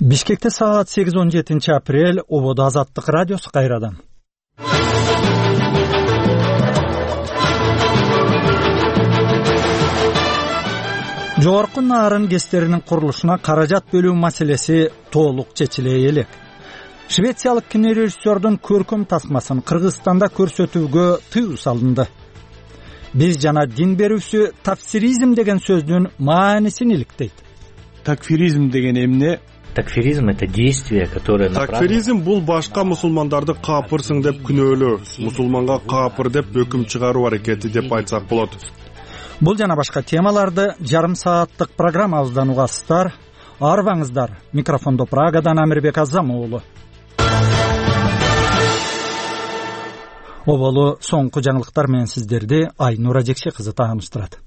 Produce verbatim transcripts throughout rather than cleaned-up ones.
Бишкекте саат сегиз он жетинчи апрель. Ободо Азаттык радиосу кайрадан. Жогорку Нарын КЭСтеринин курулушуна каражат бөлүү маселеси толук чечиле элек. Швециялык кинорежиссердун көркөм тасмасын Кыргызстанда көрсөтүүгө тыюу салынды. Биз жана дин берүүсү тафсиризм деген сөздүн маанисин иликтейт. Такфиризм деген эмне? Такфиризм — это действие, которое Такфиризм бул башка мусулмандарды капырсың деп күнөөлөө, мусулманга капыр деп өкүм чыгаруу аракети деп айтсак болот. Бул жана башка темаларды жарым сааттык программабыздан угасыздар. Арбаңыздар. Микрофондо Прагадан Амирбек Азам уулу. Оболу соңку жаңылыктар менен сиздерди Айнура Жекше кызы тааныштырат.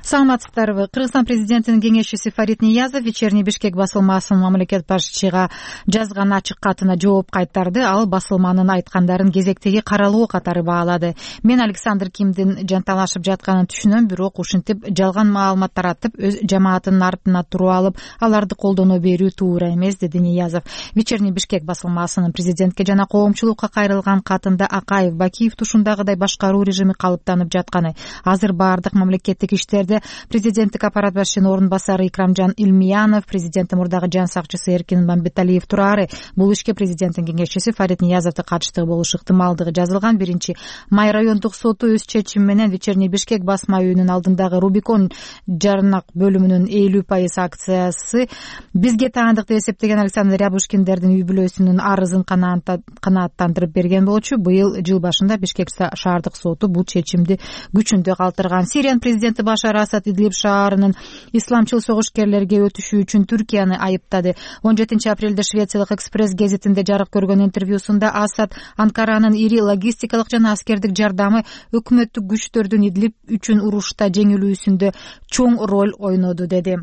Саламатсыздарбы. Кыргызстан президентинин кеңешчиси Фарид Ниязов вечерний Бишкек басылмасынын мамлекет башчыга жазган ачык катына жооп кайтарды. Ал басылманын айткандарын кезектеги каралуу катары баалады. Мен Александр Кимдин жанталашып жатканын түшүнөм, бирок ушинтип жалган маалымат таратып, өз жамаатынын артына туруп алып, аларды колдоно берүү туура эмес, деди Ниязов. Вечерний Бишкек басылмасынын президентке жана коомчулукка кайрылган катында Акаев, Бакиев тушундагыдай башкаруу режими калыптанып жатканы, азыр баардык мамлекеттик иштерде президенттик аппарат башчынын орун басары Икрамжан Илмиянов, президенттин мурдагы жан сакчысы Эркин Мамбеталиев турары. Бул ишке президенттин кеңешчиси Фарид Ниязовдун катыштыгы болушу ыктымалдыгы жазылган. Биринчи май райондук соту өз чечими менен Вечерний Бишкек басма үйүнүн алдындагы Рубикон жарнак бөлүмүнүн элүү пайыз акциясы бизге таандык деп эсептеген Александр Рябушкиндердин үй бүлөсүнүн арызын канааттандырып берген болчу. Быйыл жыл башында Бишкек шаардык соту бул чечимди күчүндө калтырган. Сириянын президенти Башар Асад Идлиб шаарынын исламчыл согушкерлерге өтүшү үчүн Түркияны айыптады. он жетинчи апрелде Швециялык Экспресс гезитинде жарык көргөн интервьюсунда Асад Анкаранын ири логистикалык жана аскердик жардамы өкмөттүк күчтөрдүн Идлиб үчүн урушта жеңилүүсүндө чоң роль ойноду деди.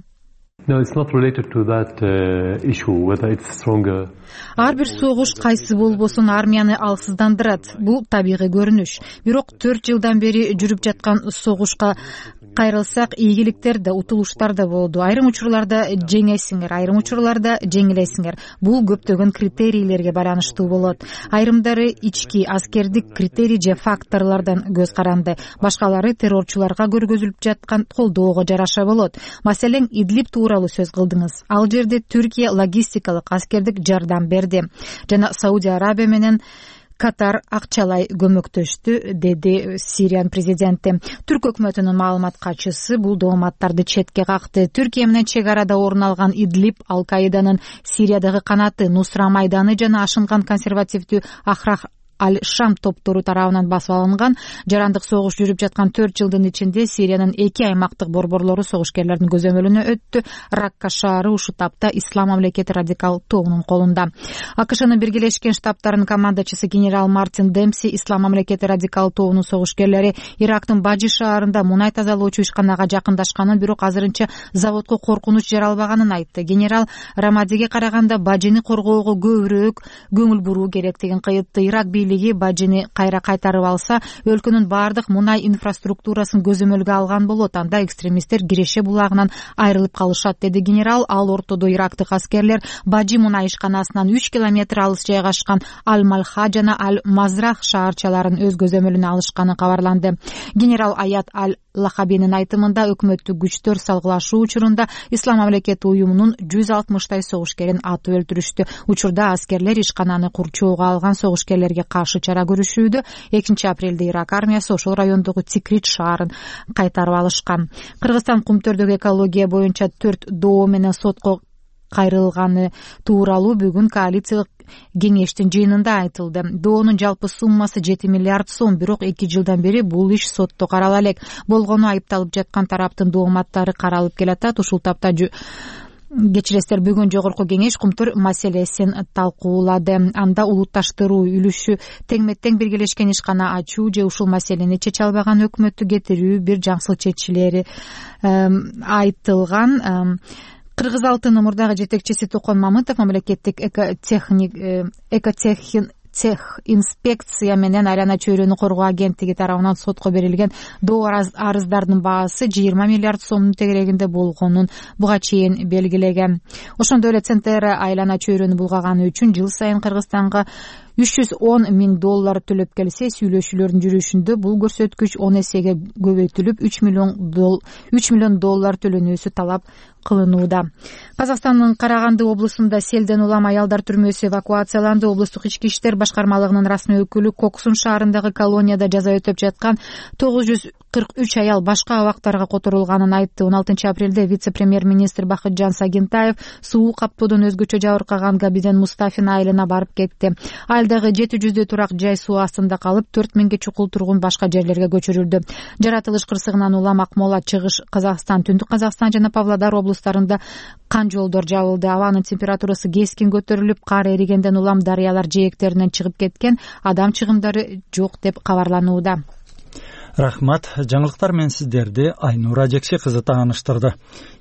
No, it's not related to that uh, issue, whether it's stronger. Ар бир согуш кайсы болбосун армияны алсыздандырат. Бул табигый көрүнүш. Бирок төрт жылдан бери жүрүп жаткан согушка кайрылсак, ийгиликтер да, утулуштар да болду. Айрым учурларда жеңесиңер, айрым учурларда жеңилесиңер. Бул көптөгөн критерийлерге байланыштуу болот. Айрымдары ички аскердик критерий же факторлордон көз каранды. Башкалары террорчуларга көргөзүлүп жаткан колдоого жараша болот. Маселен, Идлиб тууралуу сөз кылдыңыз. Ал жерде Түркия логистикалык аскердик жардам берди жана Саудия Арабия менен Катар акчалай көмөктөштү, деди Сириянын президенти. Түрк өкмөтүнүн маалымат катчысы бул дооматтарды четке какты. Түркия менен чек арада орун алган Идлиб Ал-Каиданын Сириядагы канаты Нусра майданы жана ашынган консервативдүү Ахрах Аль-Шам топтору тарабынан басып алынган. Жарандык согуш жүрүп жаткан төрт жылдын ичинде Сириянын эки аймактык борборлору согушкерлердин көзөмөлүнө өттү. Ракка шаары ушул тапта Ислам мамлекети радикал тобунун колунда. АКШнын Биргелешкен Штабтарынын командачысы генерал Мартин Демси Ислам мамлекети радикал тобунун согушкерлери Ирактын Бажи шаарында мунай тазалоочу ишканага жакындашканын, бирок азырынча заводко коркунуч жаралбаганын айтты. Генерал Рамадиге караганда Бажини коргоого көбүрөөк көңүл буруу керектигин кыйытты. Ирак Бажини кайра кайтарып алса, өлкөнүн баардык мунай инфраструктурасын көзөмөлгө алган болот. Анда экстремисттер Киреше булагынан айрылып калышат, деди генерал. Ал ортодо ирактык аскерлер Бажи мунай ишканасынан үч километр алыс жайгашкан Аль-Малха жана Аль-Мазрах шаарчаларын өз көзөмөлүнө алышканы кабарланды. Генерал Аят Аль-Лахабинин айтымында өкмөттүк күчтөр салгылашуу учурунда Ислам мамлекети уюмунун жүз алтымыштай согушкерин атып өлтүрүштү. Учурда аскерлер ишкананы курчоого алган согушкерлерге каршы чара көрүшүүдө. экинчи апрелде Ирак армиясы ошол райондогу Тикрит шаарын кайтарып алышкан. Кыргызстан Кумтөрдөгү экология боюнча төрт доо менен сотко кайрылганы тууралуу бүгүн коалициялык кеңештин жыйынында айтылды. Доонун жалпы суммасы жети миллиард сом, бирок эки жылдан бери бул иш сотто карала элек. Болгону айыпталып жаткан тараптын дооматтары каралып келатат. Ушул тапта кечиресиздер, бүгүн жогорку кеңеш Кумтөр маселесин талкуулады. Анда улутташтыруу үлүшү теңме-тең биргелешкен ишкана ачуу же ушул маселени чече албаган өкмөттү кетирүү бир жаңсыл чечилери айтылган. Кыргыз алтынын мурдагы жетекчиси Токон Мамытов мамлекеттик экотехник экотехин цех инспекция менен айлана чөйрөнү коргоо агенттиги тарабынан сотко берилген доо арыздардын баасы жыйырма миллиард сомдун тегерегинде болгонун буга чейин белгилеген. Ошондой эле Центера айлана чөйрөнү булгаганы үчүн жыл сайын Кыргызстанга үч жүз он миң доллар төлөп келсе, сүйлөшүүлөрдүн жүрүшүндө бул көрсөткүч он эсеге көбөйтүлүп үч миллион доллар төлөнүүсү талап кылынууда. Казакстандын Караганды облусунда селден улам аялдар түрмөсү эвакуацияланды. Облустук ички иштер башкармалыгынын расмий өкүлү Коксун шаарындагы колонияда жаза өтөп жаткан тогуз жүз кырк үч аял башка абактарга которулганын айтты. он алтынчы апрелде вице-премьер-министр Бакытжан Сагинтаев суу каптоодон өзгөчө жабыркаган Габиден Мустафин айылына барып кетти. Айылдагы жети жүздөй турак жай суу астында калып, төрт миңге чукул тургун башка жерлерге көчүрүлдү. Жаратылыш кырсыгынан улам Акмола, Чыгыш Казакстан, Түндүк Казакстан жана Павлодар облустарында кан жолдор жабылды. Абанын температурасы кескин көтөрүлүп, кар эригенден улам дарыялар жээктеринен чыгып кеткен, адам чыгымдары жок деп кабарланууда. Рахмат. Жаңылыктар менен сиздерди Айнура Жекше кызы тааныштырды.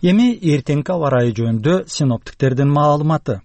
Эми эртеңки аба ырайы жөнүндө синоптиктердин маалыматы.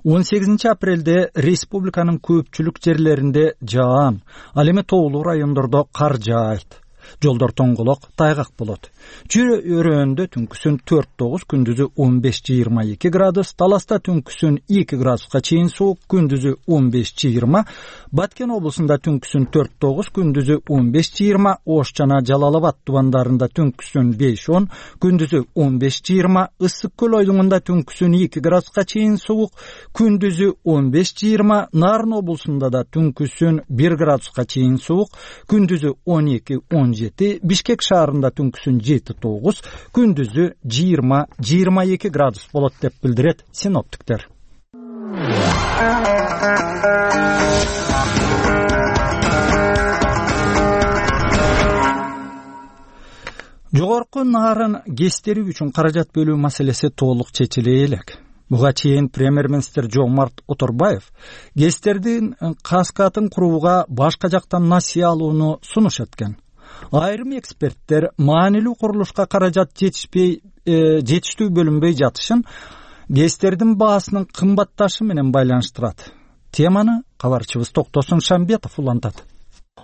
он сегизинчи апрелде республиканын көпчүлүк жерлеринде жаан, ал эми тоолуу райондордо кар жаайт. Жолдор тоңголок, тайгак болот. Чүй өрөөндө түнкүсүн төрт тогуз, күндүзү он беш жыйырма эки градус, Таласта түнкүсүн эки градуска чейин суук, күндүзү он беш жыйырма, Баткен облусунда түнкүсүн төрт тогуз, күндүзү он беш жыйырма, Ош жана Жалал Абад тубандарында түнкүсүн беш он, күндүзү он беш жыйырма, Ысык көл ойлугунда түнкүсүн эки градуска чейин суук, күндүзү он беш жыйырма, Нарын облусунда да түнкүсүн бир градуска чейин суук, күндүзү он эки он жети, Бишкек шаарында түнкүсүн жети тогуз, күндүзү жыйырма жыйырма эки градус болот деп билдирет синоптиктер. Жогорку Нарын ГЭСтери үчүн каражат бөлүү маселеси толук чечиле элек. Буга чейин премьер-министр Жомарт Оторбаев ГЭСтердин каскатын курууга башка жактан насыя алууну сунуш эткен. Айрым эксперттер маанилүү курулушка каражат жетишпей, жетиштүү бөлүнбөй жатышын ГЭСтердин баасынын кымбатташы менен байланыштырат. Теманы кабарчыбыз Токтосун Шамбетов улантат.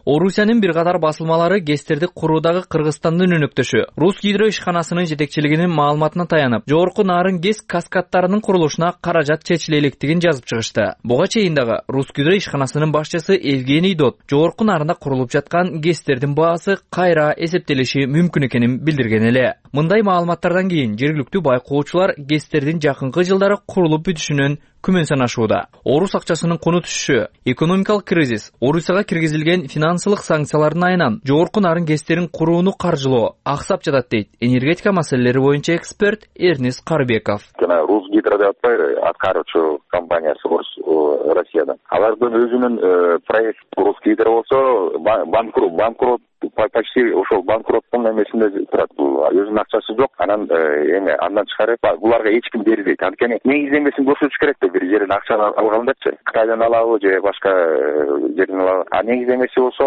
Орусиянын бир катар басылмалары ГЭСтерди куруудагы Кыргызстандын өнөктөшү Русгидро ишканасынын жетекчилигинин маалыматына таянып, жогорку Нарын ГЭС каскадтарынын курулушуна каражат чечиле электигин жазып чыгышты. Буга чейин дагы Русгидро ишканасынын башчысы Евгений Дот жогорку Нарында курулуп жаткан ГЭСтердин баасы кайра эсептелиши мүмкүн экенин билдирген эле. Мындай маалыматтардан кийин жергиликтүү байкоочулар ГЭСтердин жакынкы жылдары курулуп бүтүшүнөн күмөн санашууда. Орус акчасынын куну түшүшү, экономикалык кризис, Орусияга киргизилген финансылык санкциялардын айынан жогорку Нарын ГЭСтерин курууну каржылоо аксап жатат дейт энергетика маселелери боюнча эксперт Эрнис Карбеков. Жана Русгидро деп атпайбы, аткаруучу компаниясы Россияда. Алардын өзүнүн проект Русгидро болсо банкрот, банкрот почти ошол банкроттун эмесинде турат. Өзүнүн акчасы жок, анан эме андан чыгарып буларга эч ким бербейт. Анткени негиздемесин көрсөтүш керек да, бир жерден акча алгандачы. Кытайдан алабы же башка жерден алабы. А негиздемеси болсо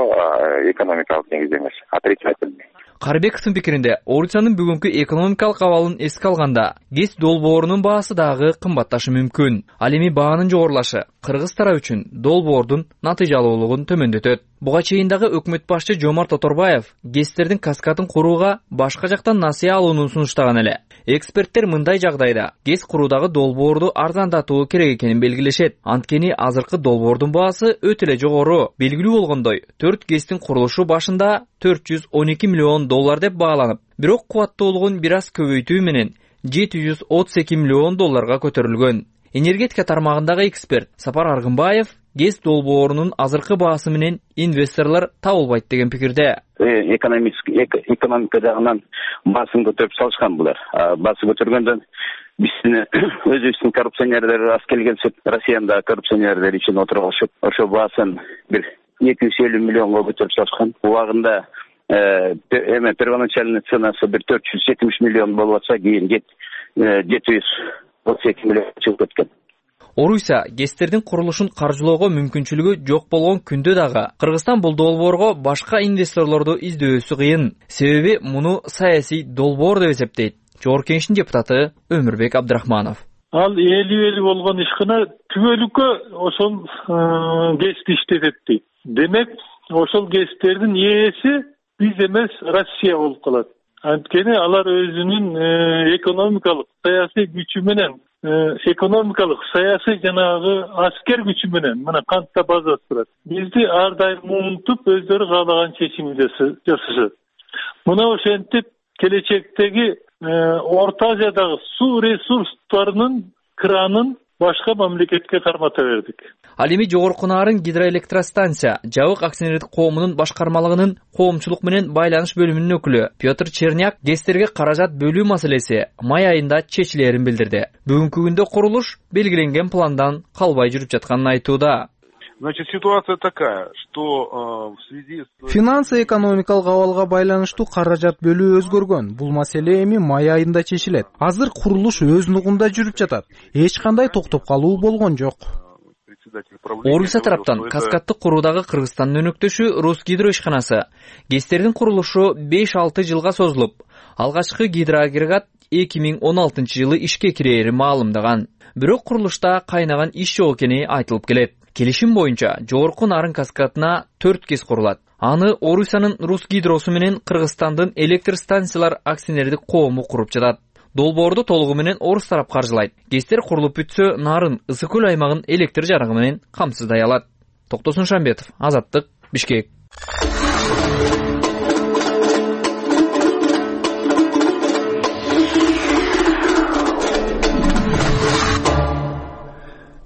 экономикалык негиздемеси, отрицательный. Карбековдун пикиринде, Орусиянын бүгүнкү экономикалык абалын эске алганда, ГЭС долбоорунун баасы дагы кымбатташы мүмкүн. Ал эми баанын жогорулашы Кыргыз тарабы үчүн долбоордун натыйжалуулугун төмөндөтөт. Буга чейин дагы өкмөт башчы Жомарт Оторбаев ГЭСтердин каскатын курууга башка жактан насыя алууну сунуштаган эле. Эксперттер мындай жагдайда ГЭС куруудагы долбоорду арзандатуу керек экенин белгилешет. Анткени азыркы долбоордун баасы өтө эле жогору. Белгилүү болгондой, төрт ГЭСтин курулушу башында төрт жүз он эки миллион доллар деп бааланып, бирок кубаттуулугун бир аз көбөйтүү менен жети жүз отуз эки миллион долларга көтөрүлгөн. Энергетика тармагындагы эксперт Сапар Аргынбаев ГЭС долбоорунун азыркы баасы менен инвесторлор табылбайт деген пикирде. Экономика жагынан баасын көтөрүп салышкан булар. Баасы көтөргөндөн биздин өзүбүздүн коррупционерлер аз келгенсип, Россияда коррупционерлер үчүн отуруп алышып, ошо баасын бир эки жүз элүү миллионго көтөрүп салышкан. Убагында эме первоначальный ценасы бир төрт жүз жетимиш миллион болуп атса, кийин жети жүз отуз эки миллион чыгып кеткен. Орусия ГЭСтердин курулушун каржылоого мүмкүнчүлүгү жок болгон күндө дагы Кыргызстан бул долбоорго башка инвесторлорду издөөсү кыйын. Себеби муну саясий долбоор деп эсептейт Жогорку Кеңештин депутаты Өмүрбек Абдрахманов. ал элүү элүү болгон ишкана түбөлүккө ошол гэсти иштетет дейт. Демек ошол гэстердин ээси биз эмес, Россия болуп калат. Анткени алар өзүнүн экономикалык, саясий күчү менен, экономикалык, саясий жанагы аскер күчү менен мына кантта базасы турат. Бизди ар дайым унутуп, өздөрү каалаган чечим жасашат. Мына ошентип келечектеги Орто Азиядагы суу ресурстарынын кранын башка мамлекетке кармата бердик. Ал эми Жогорку Нарын гидроэлектростанция жабык акционердик коомунун башкармалыгынын коомчулук менен байланыш бөлүмүнүн өкүлү Петр Черняк гестерге каражат бөлүү маселеси май айында чечилерин билдирди. Бүгүнкү күндө курулуш белгиленген пландан калбай жүрүп жатканын айтууда. Значит, ситуация такая, что в связи с... Финансы-экономикалык абалга байланыштуу каражат бөлүү өзгөргөн. Бул маселе эми май айында чечилет. Азыр курулуш өз нугунда жүрүп жатат. Эч кандай токтоп калуу болгон жок. Орусия тараптан каскадты куруудагы Кыргызстандын өнөктөшү Русгидро ишканасы гестердин курулушу беш алты жылга созулуп, алгачкы гидроагрегат эки миң он алтынчы жылы ишке кирери маалымдаган. Бирок курулушта кайнаган иш жок экени айтылып келет. Келишим боюнча Жогорку Нарын каскадына төрт кес курулат. Аны Орусиянын Русгидросу менен Кыргызстандын электр станциялар акционердик коому куруп жатат. Долбоорду толугу менен орус тарап каржылайт. Гестер курулуп бүтсө, Нарын ысык көл аймагын электр жарыгы менен камсыздай алат. Токтосун Шамбетов, Азаттык, Бишкек.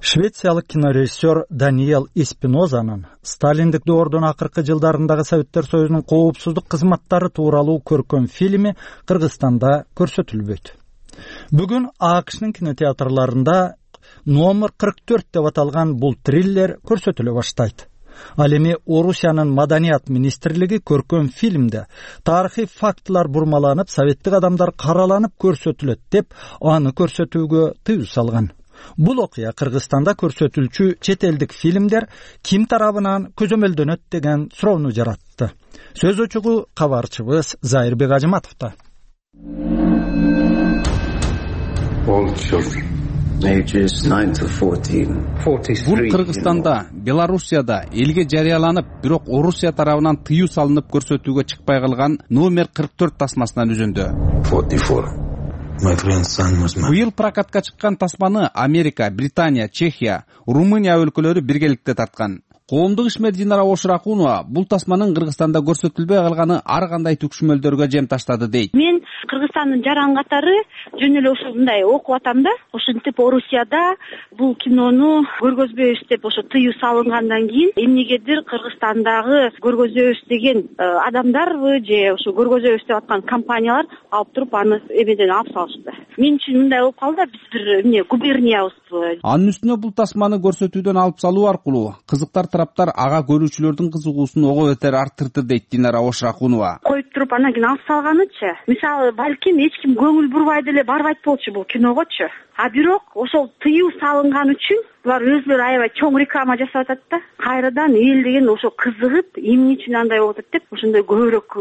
Швециялык кинорежиссер Даниэл Эспинозанын Сталиндик доордун акыркы жылдарындагы Советтер Союзунун коопсуздук кызматтары тууралуу көркөм фильми Кыргызстанда көрсөтүлбөйт. Бүгүн АКШнын кинотеатрларында номер кырк төрт деп аталган бул триллер көрсөтүлө баштайт. Ал эми Орусиянын Маданият министрлиги көркөм фильмде тарыхый фактылар бурмаланып, советтик адамдар караланып көрсөтүлөт деп аны көрсөтүүгө тыюу салган. Бул окуя Кыргызстанда көрсөтүлчү чет элдик фильмдер ким тарабынан көзөмөлдөнөт деген суроону жаратты. Сөз учугу кабарчыбыз Зайырбек Ажыматовдо. Бул Кыргызстанда, Белоруссияда элге жарыяланып, бирок Орусия тарабынан тыюу салынып көрсөтүүгө чыкпай калган номер кырк төрт тасмасынан үзүндү. Быйыл прокатка чыккан тасманы Америка, Британия, Чехия, Румыния өлкөлөрү биргеликте тарткан. Коомдук ишмер Динара Ошракунова бул тасманын Кыргызстанда көрсөтүлбөй калганы ар кандай түкшүмөлдөргө жем таштады дейт. Мен Кыргызстандын жаран катары жөн эле ушундай окуп атам да, ошентип Орусияда бул кинону көргөзбөйбүз деп ошо тыюу салынгандан кийин эмнегедир Кыргызстандагы көргөзөбүз деген адамдарбы же ошо көргөзөбүз деп аткан компаниялар алып туруп аны эмеден алып салышты. Мен үчүн мындай болуп калды да, биз бир эмне губерниябызбы. Анын үстүнө бул тасманы көрсөтүүдөн алып салуу аркылуу кызыктар тараптар ага көрүүчүлөрдүн кызыгуусун ого бетер арттырды дейт Динара Ошракунова. Коюп туруп анан кийин алып салганычы, мисалы балким эч ким көңүл бурбай деле барбайт болчу бул киногочу. А бирок ошол тыюу салынган үчүн булар өзүлөрү аябай чоң реклама жасап атат да. Кайрадан эл деген ошо кызыгып, эмне үчүн андай болуп атат деп ошондой көбүрөөк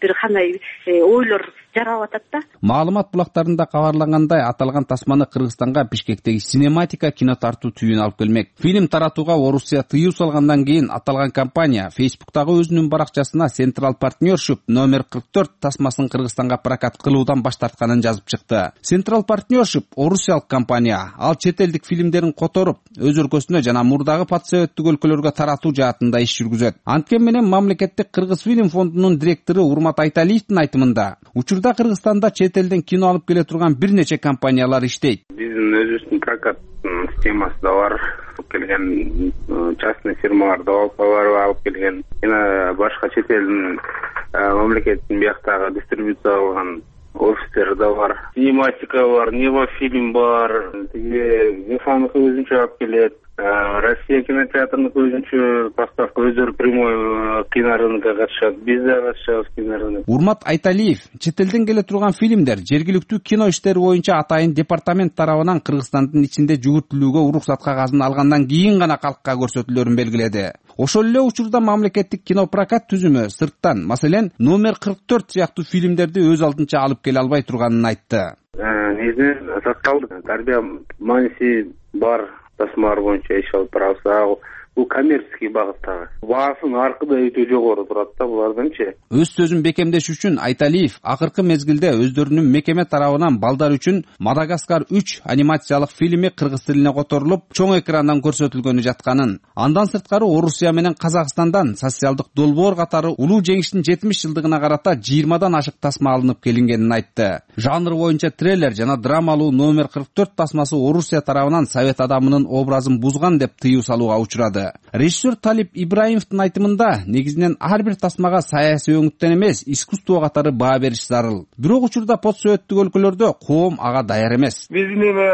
бир кандай ойлор жаралып атат да. Маалымат булактарында кабарлангандай, аталган тасманы Кыргызстанга Бишкектеги Синематика кино тартуу түйүн алып келмек. Фильм таратууга Орусия тыюу салгандан кийин аталган компания Facebook'тагы өзүнүн баракчасына Central Partnership номер кырк төрт тасмасын Кыргызстанга прокат кылуудан баш тартканын жазып чыкты. Central Partnership орусиялык компания. Ал чет элдик фильмдерин которуп, өз өлкөсүнө жана мурдагы патсоветтик өлкөлөргө таратуу жаатында иш жүргүзөт. Анткени менен мамлекеттик Кыргыз фильм фондунун директору Урмат Айталиевдин айтымында, учурда Кыргызстанда чет элден кино алып келе турган бир нече компаниялар иштейт. Биздин өзүбүздүн прокат системасы да бар, алып келген частный фирмалар да бар, алып келген жана башка чет элдин мамлекеттин бияктагы дистрибуция кылган офистер да бар. Синематика бар, Нева фильм бар, тиги Зефанов өзүнчө алып келет. Россия кинотеатрынын өзүнчө поставка, өздөрү прямой кинорынокко катышат, биз да катышабыз кинорынокко. Урмат Айталиев чет элден келе турган фильмдер жергиликтүү кино иштери боюнча атайын департамент тарабынан Кыргызстандын ичинде жүгүртүлүүгө уруксат кагазын алгандан кийин гана калкка көрсөтүлөрүн белгиледи. Ошол эле учурда мамлекеттик кино прокат түзүмө сырттан, маселен, номер кырк төрт сыяктуу фильмдерди өз алдынча алып келе албай турганын айтты. негизинен социалдык тарбия мааниси бар тасмалар боюнча иш алып барабыз. Бул коммерческий багыттагы. Баасын аркыда өтө жогору турат да булардынчы. Өз сөзүн бекемдеш үчүн Айталиев акыркы мезгилде өздөрүнүн мекеме тарабынан балдар үчүн Мадагаскар үч анимациялык фильми кыргыз тилине которулуп, чоң экрандан көрсөтүлгөнү жатканын, андан сырткары Орусия менен Казакстандан социалдык долбоор катары улуу жеңиштин жетимиш жылдыгына карата жыйырмадан ашык тасма алынып келингенин айтты. Жанр боюнча триллер жана драмалуу номер кырк төрт тасмасы Орусия тарабынан совет адамынын образын бузган деп тыюу салууга учурады. Режиссер Талип Ибраимовдун айтымында негизинен ар бир тасмага саясий өңүттөн эмес, искусство катары баа бериш зарыл. Бирок учурда постсоветтик өлкөлөрдө коом ага даяр эмес. Биздин эме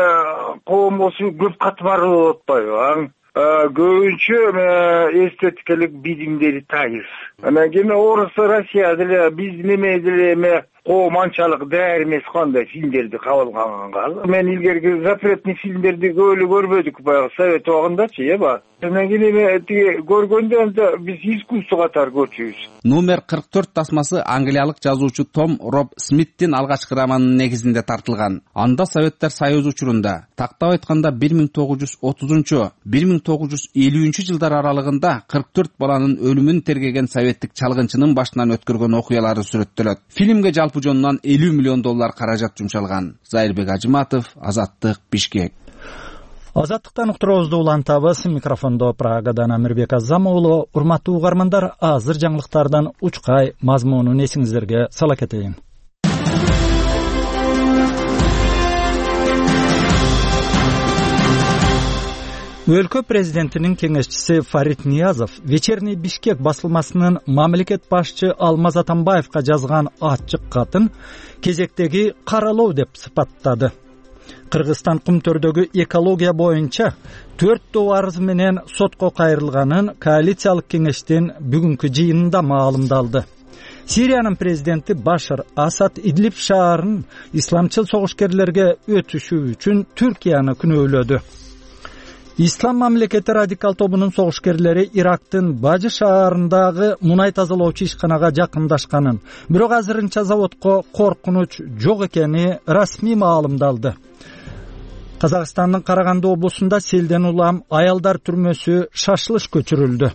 коом болсо көп катмарлуу болуп атпайбы? Көбүнчө эстетикалык билимдери тайыз. Анан кийин Орусия, Россия деле биздин эме деле эме коом анчалык даяр эмес кандай фильмдерди кабыл алганга. Мен илгерки запретный фильмдерди көп эле көрбөдүк баягы совет убагындачы, эби. Анан кийин эме тиги көргөндө биз искусство катары көрчүбүз. Номер кырк төрт тасмасы англиялык жазуучу Том Роб Смиттин алгачкы романынын негизинде тартылган. Анда Советтер Союзу учурунда, тактап айтканда бир миң тогуз жүз отузунчу — бир миң тогуз жүз элүүнчү жылдар аралыгында кырк төрт баланын өлүмүн тергеген советтик чалгынчынын башынан өткөргөн окуялары сүрөттөлөт. Фильмге жалпы жонунан элүү миллион доллар каражат жумшалган. Зайырбек Ажыматов, Азаттык, Бишкек. Азаттыктан уктуруубузду улантабыз. Микрофондо Прагадан Амирбек Азам уулу. Урматтуу угармандар, азыр жаңылыктардан учкай мазмунун эсиңиздерге сала кетейин. Өлкө президентинин кеңешчиси Фарид Ниязов Вечерний Бишкек басылмасынын мамлекет башчы Алмаз Атамбаевга жазган ачык катын кезектеги каралоо деп сыпаттады. Кыргызстан Кумтөрдөгү экология боюнча төрттөө арыз менен сотко кайрылганын коалициялык кеңештин бүгүнкү жыйынында маалымдалды. Сириянын президенти Башар Асад Идлиб шаарын исламчыл согушкерлерге өтүшү үчүн Түркияны күнөөлөдү. Ислам мамлекети радикал тобунун согушкерлери Ирактын Бажы шаарындагы мунай тазалоочу ишканага жакындашканын, бирок азырынча заводко коркунуч жок экени расмий маалымдалды. Казакстандын Караганды облусунда селден улам аялдар түрмөсү шашылыш көчүрүлдү.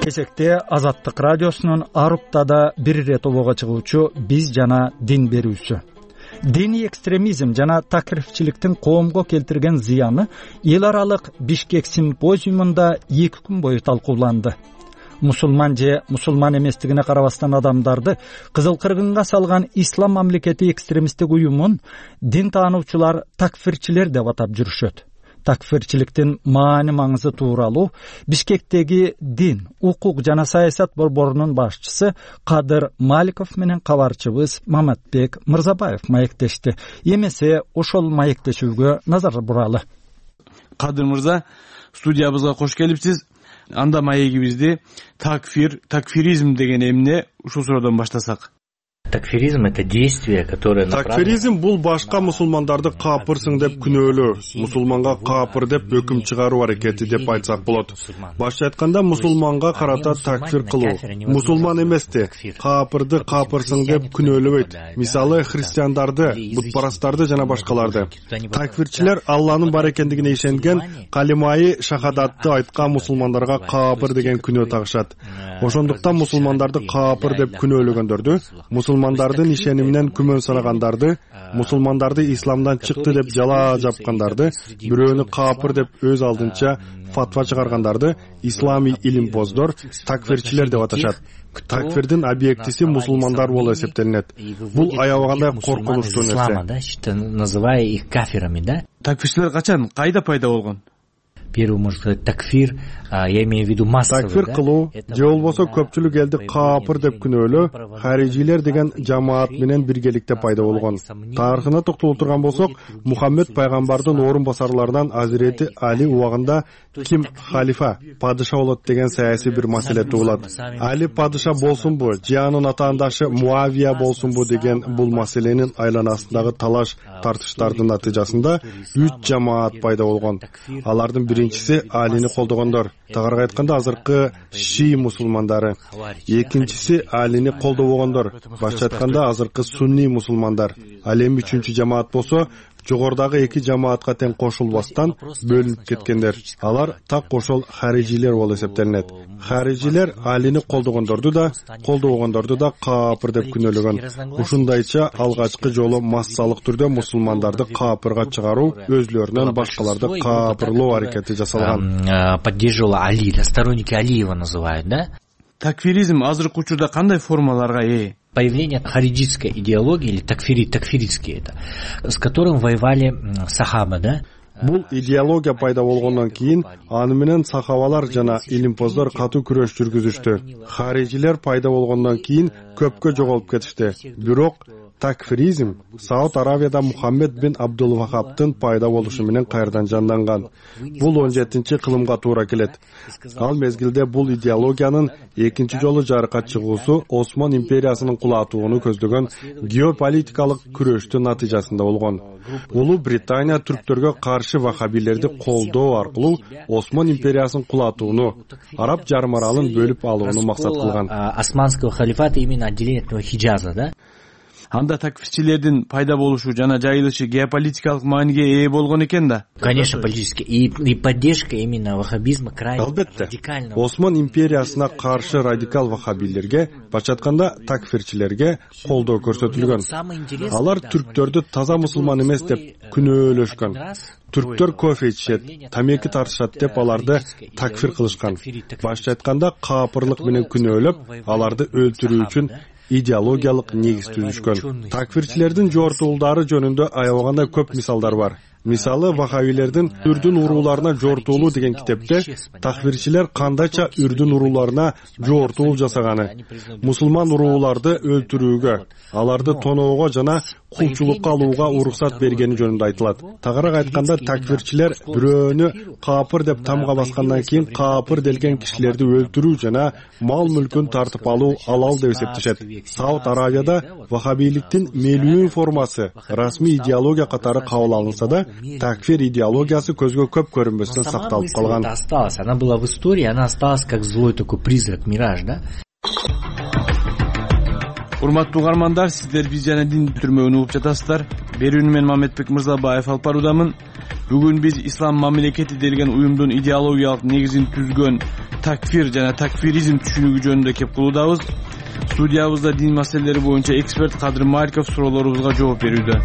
Кечекте Азаттык радиосунун Аруптада бир ирет обого чыгуучу биз жана дин берүүсү. Диний экстремизм жана такрифчиликтин коомго келтирген зыяны эл аралык Бишкек симпозиумунда эки күн бою талкууланды. Мусулман же мусулман эместигине карабастан адамдарды кызыл кыргынга салган ислам мамлекети экстремисттик уюмун дин таануучулар такфирчилер деп атап жүрүшөт. Такфирчиликтин маани маңызы тууралуу Бишкектеги дин, укук жана саясат борборунун башчысы Кадыр Маликов менен кабарчыбыз Маматбек Мырзабаев маектешти. Эмесе ошол маектешүүгө назар буралы. Кадыр мырза, студиябызга кош келипсиз. Анда маегибизди такфир, такфиризм деген эмне, ушул суроодон баштасак. Такфиризм — это действие, которое Такфиризм бул башка мусулмандарды капырсың деп күнөөлөө, мусулманга капыр деп өкүм чыгаруу аракети деп айтсак болот. Башча айтканда мусулманга карата такфир кылуу. Мусулман эмести, капырды капырсың деп күнөөлөбөйт. Мисалы, христиандарды, бутпарастарды жана башкаларды. Такфирчилер Алланын бар экендигине ишенген калимаи шахадатты айткан мусулмандарга капыр деген күнөө тагышат. Ошондуктан мусулмандарды капыр деп күнөөлөгөндөрдү, мусулмандардын ишениминен күмөн санагандарды, мусулмандарды исламдан чыкты деп жала жапкандарды, бирөөнү капыр деп өз алдынча фатва чыгаргандарды исламий илимпоздор, такфирчилер деп аташат. Такфирдин объектиси мусулмандар болуп эсептелинет. Бул аябагандай коркунучтуу нерсе. Называя их кафирами, да? Такфирчилер качан, кайда пайда болгон? первый, можно сказать, такфир, я имею в виду массовый. Такфир кылуу же болбосо көпчүлүк элди каапыр деп күнөөлөө харижилер деген жамаат менен биргеликте пайда болгон. Тарыхына токтоло турган болсок, Мухаммед пайгамбардын орун басарларынан Азирети Али убагында ким халифа, падыша болот деген саясий бир маселе туулат. Али падыша болсунбу, же анын атаандашы Муавия болсунбу деген бул маселенин айланасындагы талаш тартыштардын натыйжасында үч жамаат пайда болгон. Алардын биринчиси Алини колдогондор, тагыраагы айтканда азыркы шии мусулмандары. Экинчиси Алини колдобогондор, башкача айтканда азыркы сунни мусулмандар. Ал эми үчүнчү жамаат болсо жогорудагы эки жамаатка тең кошулбастан бөлүнүп кеткендер. Алар так ошол харижилер болуп эсептелинет. Харижилер Алини колдогондорду да, колдобогондорду да каапыр деп күнөөлөгөн. Ушундайча алгачкы жолу массалык түрдө мусулмандарды каапырга чыгаруу, өзлөрүнөн башкаларды каапырлоо аракети жасалган. Поддерживала Али, сторонники Али его называют, да? Такфиризм азыркы учурда кандай формаларга ээ? Появление хариджитской идеологии, или такфири, такфиритский это, с которым воевали сахаба, да? Бул идеология пайда болгондон кийин аны менен сахабалар жана илимпоздор катуу күрөш жүргүзүштү. Харижилер пайда болгондон кийин көпкө жоголуп кетишти. Бирок такфиризм Сауд Аравияда Мухаммед бин Абдул Вахабтын пайда болушу менен кайрадан жанданган. Бул он жетинчи кылымга туура келет. Ал мезгилде бул идеологиянын экинчи жолу жарыкка чыгуусу Осман империясынын кулатууну көздөгөн геополитикалык күрөштүн натыйжасында болгон. Улуу Британия түрктөргө каршы вахабилерди колдоо аркылуу Осман империясынын кулатууну, Араб жарым аралын бөлүп алууну максат кылган. Османского халифата именно отделение этого Хиджаза, да? Анда такфирчилердин пайда болушу жана жайылышы геополитикалык мааниге ээ болгон экен да. Конечно, политически. И, и поддержка именно ваххабизма крайне радикального. Осман империясына каршы радикал ваххабилерге, башкача айтканда такфирчилерге колдоо көрсөтүлгөн. Алар түрктөрдү таза мусулман эмес деп күнөөлөшкөн. Түрктөр кофе ичет, тамеки тартышат деп аларды такфир кылышкан. Башкача айтканда каапырлык менен күнөөлөп, аларды өлтүрүү үчүн идеологиялык негиз түзүшкөн. Такфирчилердин жортуулдары жөнүндө аябаганда көп мисалдар бар. Мисалы, вахабилердин үрдүн урууларына жортуулуу деген китепте такфирчилер кандайча үрдүн урууларына жортуул жасаганы, мусулман урууларды өлтүрүүгө, аларды тоноого жана кулчулукка алууга уруксат бергени жөнүндө айтылат. Тагыраак айтканда, такфирчилер бирөөнү каапыр деп тамга баскандан кийин каапыр делген кишилерди өлтүрүү жана мал мүлкүн тартып алуу алал деп эсептешет. Сауд Аравияда вахабиликтин мелүүн формасы расмий идеология катары кабыл алынса да, такфир идеологиясы көзгө көп көрүнбөстөн сакталып калган. Она была в истории, она осталась как злой такой призрак, мираж, да? Урматтуу угармандар, сиздер биз жана дин түрмөгүн угуп жатасыздар. Берүүнү мен Мамедбек Мырзабаев алып баруудамын. Бүгүн биз ислам мамлекети делген уюмдун идеологиялык негизин түзгөн такфир жана такфиризм түшүнүгү жөнүндө кеп кылуудабыз. Студиябызда дин маселелери боюнча эксперт Кадыр Мариков суроолорубузга жооп берүүдө.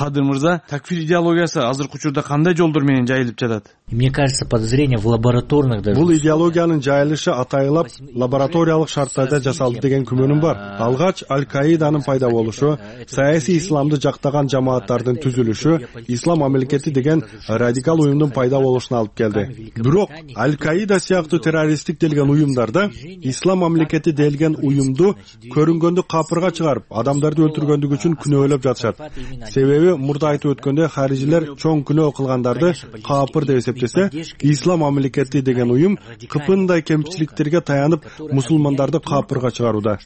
Кадыр мырза, такфир идеологиясы азыркы учурда кандай жолдор менен жайылып жатат? Мне кажется, подозрение в лабораторных даже. Бул идеологиянын жайылышы атайылап лабораториялык шарттарда жасалды деген күмөнүм бар. Алгач Аль-Каиданын пайда болушу, саясий исламды жактаган жамааттардын түзүлүшү, ислам мамлекети деген радикал уюмдун пайда болушуна алып келди. Бирок Аль-Каида сыяктуу террористтик делген уюмдарда ислам мамлекети делген уюмду көрүнгөндү капырга чыгарып, адамдарды өлтүргөндүгү үчүн күнөөлөп жатышат. Себеби мурда айтып өткөндө харижилер чоң күнөө кылгандарды капыр деп эсептесе, ислам мамлекети деген уюм кыпындай кемчиликтерге таянып мусулмандарды капырга чыгарууда,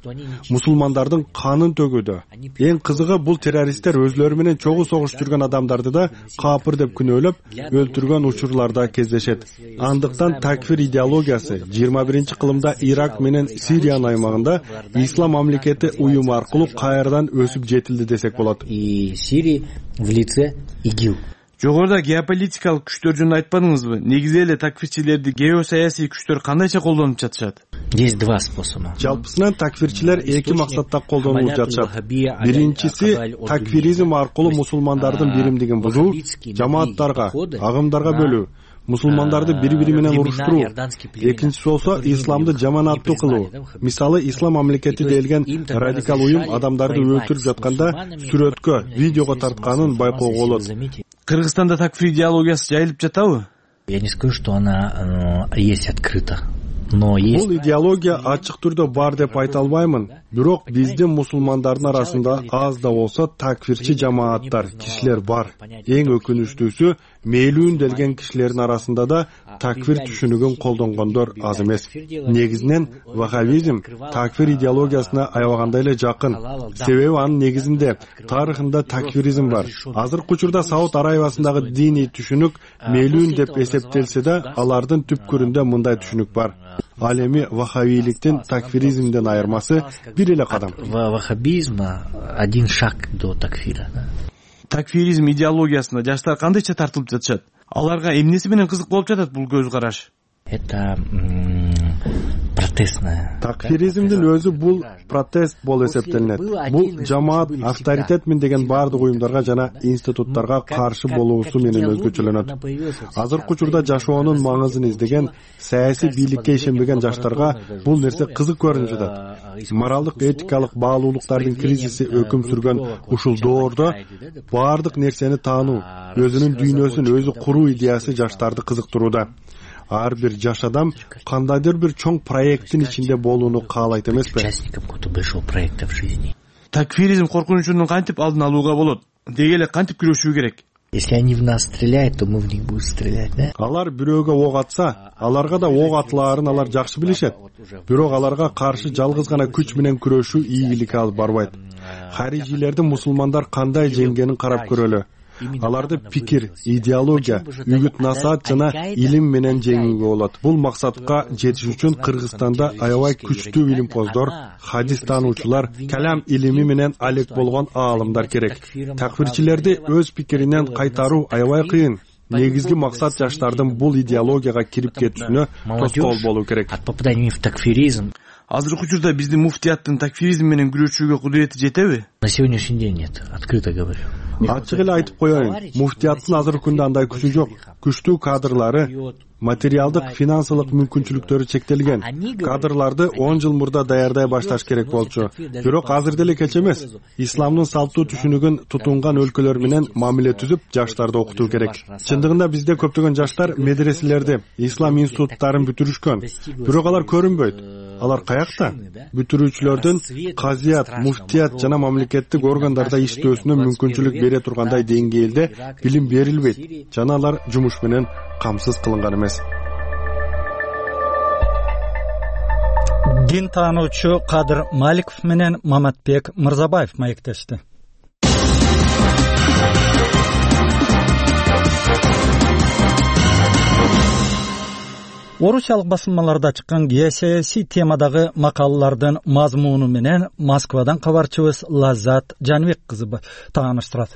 мусулмандардын канын төгүүдө. Эң кызыгы, бул террористтер өзлөрү менен чогуу согуш жүргөн адамдарды да капыр деп күнөөлөп өлтүргөн учурларда кездешет. Андыктан такфир идеологиясы жыйырма биринчи кылымда Ирак менен Сириянын аймагында ислам мамлекети уюму аркылуу кайрадан өсүп жетилди десек болот. И Сирии в лице ИГИЛ. Жогоруда геополитикалык күчтөр жөнүндө айтпадыңызбы? Негизи эле такфирчилерди геосаясий күчтөр кандайча колдонуп жатышат? Есть два способа. Жалпысынан такфирчилер эки максатта колдонулуп жатышат. Биринчиси такфиризм аркылуу мусулмандардын биримдигин бузуу, жамааттарга, агымдарга бөлүү, мусулмандарды бири-бири менен уруштуруу. Экинчиси болсо исламды жаманаттуу кылуу. Мисалы, ислам мамлекети делген радикал уюм адамдарды өлтүрүп жатканда сүрөткө, видеого тартканын байкоого болот. Кыргызстанда такфир идеологиясы жайылып жатабы? Я не скажу, что она есть открыто. Бул идеология ачык түрдө бар деп айта албаймын. Бирок биздин мусулмандардын арасында аз да болсо такфирчи жамааттар, кишилер бар. Эң өкүнүчтүүсү, мээлүүн делген кишилердин арасында да такфир түшүнүгүн колдонгондор аз эмес. Негизинен ваххабизм такфир идеологиясына аябагандай эле жакын. Себеби анын негизинде тарыхында такфиризм бар. Азыркы учурда Сауд Арабиясындагы диний түшүнүк мээлүүн деп эсептелсе да, алардын түпкүрүндө мындай түшүнүк бар. Ал эми ваххабийликтин такфиризмден айырмасы бир эле кадам. Ваххабизма один шаг до такфира. Такфиризм идеологиясына жаштар кандайча тартылып жатышат? Аларга эмнеси менен кызык болуп жатат бул көз караш? Это протестная. Такфиризмдин өзү бул протест болуп эсептелинет. Бул жамаат авторитетмин деген бардык уюмдарга жана институттарга каршы болуусу менен өзгөчөлөнөт. Азыркы учурда жашоонун маңызын издеген, саясий бийликке ишенбеген жаштарга бул нерсе кызык көрүнүп жатат. Моралдык, этикалык баалуулуктардын кризиси өкүм сүргөн ушул доордо бардык нерсени таануу, өзүнүн дүйнөсүн өзү куруу идеясы жаштарды кызыктырууда. Ар бир жаш адам кандайдыр бир чоң проекттин ичинде болууну каалайт эмеспи? Такфиризм коркунучунун кантип алдын алууга болот? Деги эле кантип күрөшүү керек? Если они в нас стреляют, то мы в них будем стрелять, да? Алар бирөөгө ок атса, аларга да ок атылаарын алар жакшы билишет. Бирок аларга каршы жалгыз гана күч менен күрөшүү ийгиликке алып барбайт. Харижилерди мусулмандар кандай жеңгенин карап көрөлү. Аларды пикир, идеология, үгүт насаат жана илим менен жеңүүгө болот. Бул максатка жетиш үчүн Кыргызстанда аябай күчтүү илимпоздор, хадис таануучулар, калам илими менен алек болгон аалымдар керек. Такфирчилерди өз пикиринен кайтаруу аябай кыйын. Негизги максат жаштардын бул идеологияга кирип кетүүсүнө тоскоол болуу керек. От попадания в такфиризм. Азыркы учурда биздин муфтияттын такфиризм менен күрөшүүгө кудурети жетеби? На сегодняшний день нет, открыто говорю. Ачык эле айтып коеюн, муфтияттын азыркы күндө андай күчү жок. Күчтүү кадрлары, материалдык, финансылык мүмкүнчүлүктөрү чектелген. Кадрларды он жыл мурда даярдай башташ керек болчу. Бирок азыр деле кеч эмес. Исламдын салттуу түшүнүгүн тутунган өлкөлөр менен мамиле түзүп, жаштарды окутуу керек. Чындыгында бизде көптөгөн жаштар медреселерди, ислам институттарын бүтүрүшкөн. Бирок алар көрүнбөйт. Алар каякта? Бүтүрүүчүлөрдүн казият, муфтият жана мамлекеттик органдарда иштөөсүнө мүмкүнчүлүк бере тургандай деңгээлде билим берилбейт. Жана алар жумуш менен камсыз кылынган эмес. Дин таануучу Кадыр Маликов менен Маматбек Мырзабаев маектешти. Орусиялык басылмаларда чыккан геосаясий темадагы макалалардын мазмуну менен Москвадан кабарчыбыз Лаззат Жанбек кызы тааныштырат.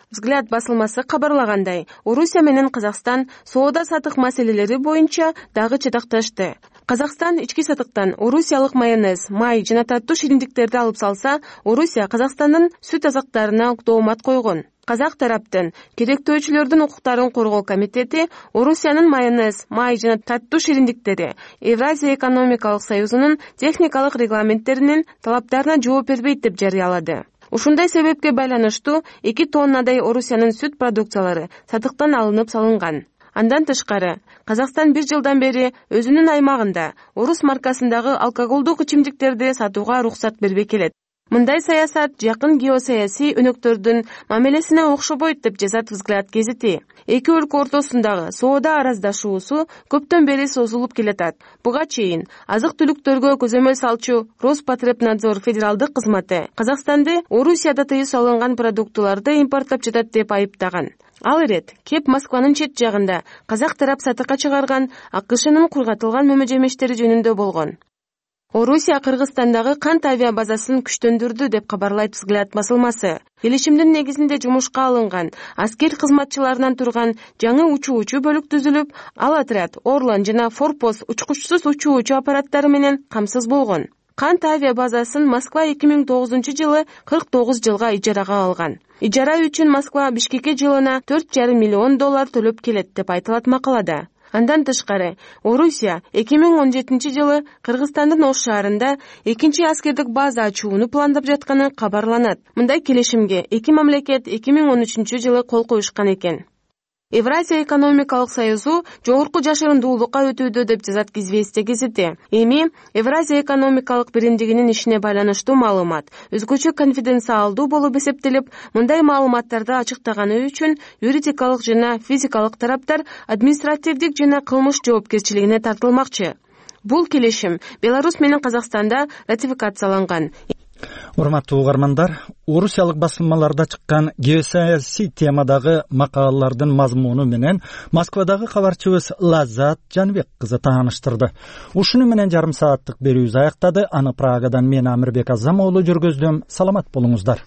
Взгляд басылмасы кабарлагандай, Орусия менен Казакстан соода сатык маселелери боюнча дагы чатакташты. Казакстан ички сатыктан орусиялык майонез, май жана таттуу шириндиктерди алып салса, Орусия Казакстандын сүт азыктарына доомат койгон. Казак тараптын керектөөчүлөрдүн укуктарын коргоо комитети Орусиянын майонез, май жана таттуу шириндиктери Евразия экономикалык союзунун техникалык регламенттеринин талаптарына жооп бербейт деп жарыялады. Ушундай себепке байланыштуу эки тоннадай Орусиянын сүт продукциялары сатыктан алынып салынган. Андан тышкары, Казакстан бир жылдан бери өзүнүн аймагында орус маркасындагы алкоголдук ичимдиктерди сатууга уруксат бербей келет. Мындай саясат жакын геосаясий өнөктөрдүн мамилесине окшобойт деп жазат Взгляд гезити. Эки өлкө ортосундагы соода араздашуусу көптөн бери созулуп келатат. Буга чейин азык-түлүктөргө көзөмөл салчу Роспотребнадзор федералдык кызматы Казакстанды Орусияда тыюу салынган продуктыларды импорттоп жатат деп айыптаган. Ал ирет кеп Москванын чет жагында казак тарап сатыкка чыгарган АКШнын кургатылган мөмө-жемештери жөнүндө болгон. Орусия Кыргызстандагы кант авиабазасын күчтөндүрдү деп кабарлайт Взгляд басылмасы. Келишимдин негизинде жумушка алынган аскер кызматчыларынан турган жаңы учуучу бөлүк түзүлүп, ал отряд Орлан жана Форпост учкучсуз учуучу аппараттары менен камсыз болгон. Кант авиабазасын Москва эки миң тогузунчу жылы кырк тогуз жылга ижарага алган. Ижара үчүн Москва Бишкекке жылына төрт жарым миллион доллар төлөп келет деп айтылат макалада. Андан тышкары, Орусия эки миң он жетинчи жылы Кыргызстандын Ош шаарында экинчи аскердик база ачууну пландап жатканы кабарланат. Мындай келишимге эки мамлекет эки миң он үчүнчү жылы кол коюшкан экен. Евразия экономикалык союзу жогорку жашырундуулукка өтүүдө деп жазат Известия гезити. Эми Евразия экономикалык биримдигинин ишине байланыштуу маалымат өзгөчө конфиденциалдуу болуп эсептелип, мындай маалыматтарды ачыктаганы үчүн юридикалык жана физикалык тараптар административдик жана кылмыш жоопкерчилигине тартылмакчы. Бул келишим Беларусь менен Казакстанда ратификацияланган. Урматтуу угармандар, орусиялык басылмаларда чыккан геосаясий темадагы макалалардын мазмуну менен Москвадагы кабарчыбыз Лаззат Жанбек кызы тааныштырды. Ушуну менен жарым сааттык берүүбүз аяктады. Аны Прагадан мен Амирбек Азамоğlu жүргөздүм. Саламат болуңуздар.